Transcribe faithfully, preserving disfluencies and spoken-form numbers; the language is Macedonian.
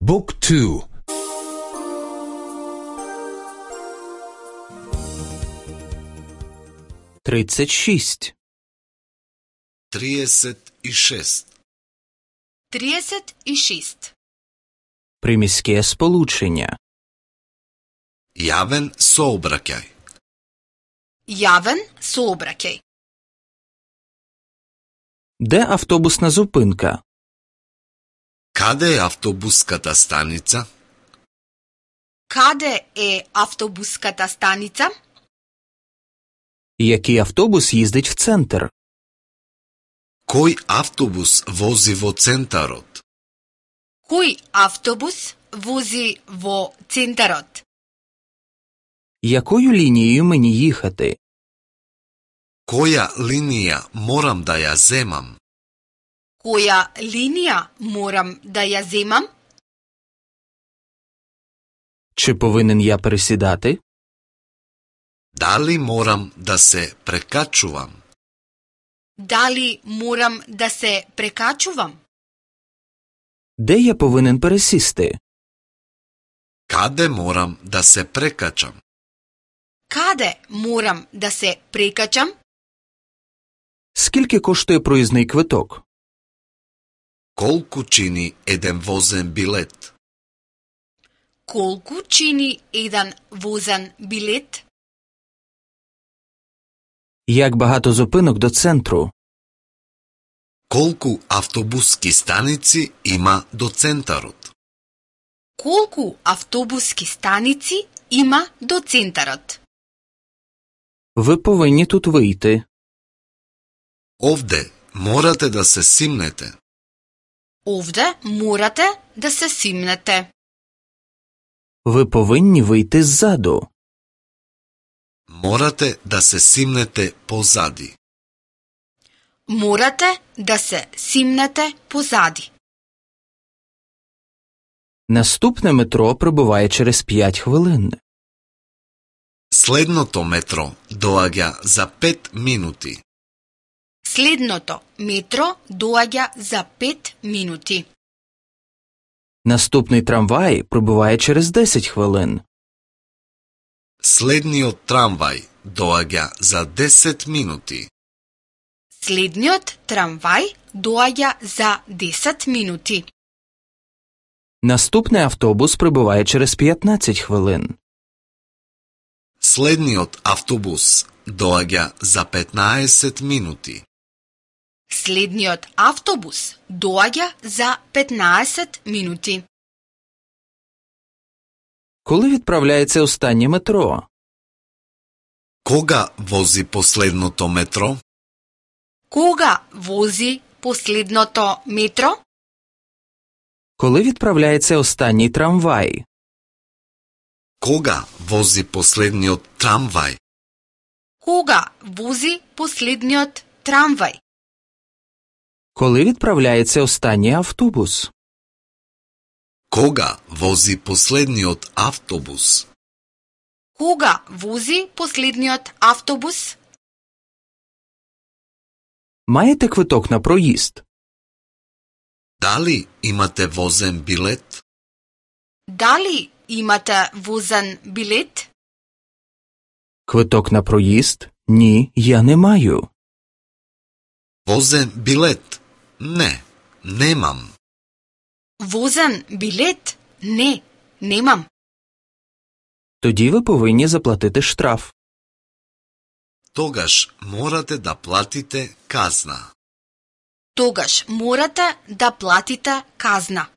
Book two. тридцять шесть. тридцать и шесть. тридцять и шесть. Приміське сполучення. Јавен сообраќај. Јавен сообраќај. Де автобусна зупинка? Каде е автобуската станица? Каде е автобуската станица? Який автобус їздить в центр? Кој автобус вози во центарот? Кој автобус вози во центарот? Якою лінією мені їхати? Која линија морам да ја земам? Која линија морам да ја земам? Чи повинен я пересідати? Дали морам да се прекачувам? Дали морам да се прекачувам? Де я повинен пересісти? Каде морам да се прекачам? Каде морам да се прекачам? Скільки коштує проїзний квиток? Колку чини еден возен билет? Колку чини еден возен билет? Як багато зупинок до центру? Колку автобуски станици има до центарот? Колку автобуски станици има до центарот? Ви повинні тут вийти. Овде морате да се симнете. Овде морате да се симнете. Ви повинні вийти ззаду. Морате да се симнете позади. Морате да се симнете позади. Наступне метро прибуває через п'ять хвилин. Следното метро доаѓа за пет минути. Следното метро доаѓа за пет минути. Наступний трамвай прибуває через десять хвилин. Следниот трамвај доаѓа за десет минути. Следниот трамвај доаѓа за десет минути. Наступний автобус прибуває через п'ятнадцять хвилин. Следниот автобус доаѓа за петнаесет минути. Следниот автобус доаѓа за петнаесет минути. Коли відправляється останнє метро? Кога вози последното метро? Кога вози последното метро? Коли відправляється останній трамвай? Кога вози последниот трамвај? Кога вози последниот трамвај? Коли відправляється останній автобус? Кога вози последниот автобус? Кога вози последниот автобус? Маєте квиток на проїзд? Дали имате возен билет? Дали имате возен билет? Квиток на проїзд? Ні, я не маю. Возен билет? Не, немам. Возен билет? Не, немам. Тоді ви повинні заплатити штраф. Тогаш морате да платите казна. Тогаш морате да платите казна.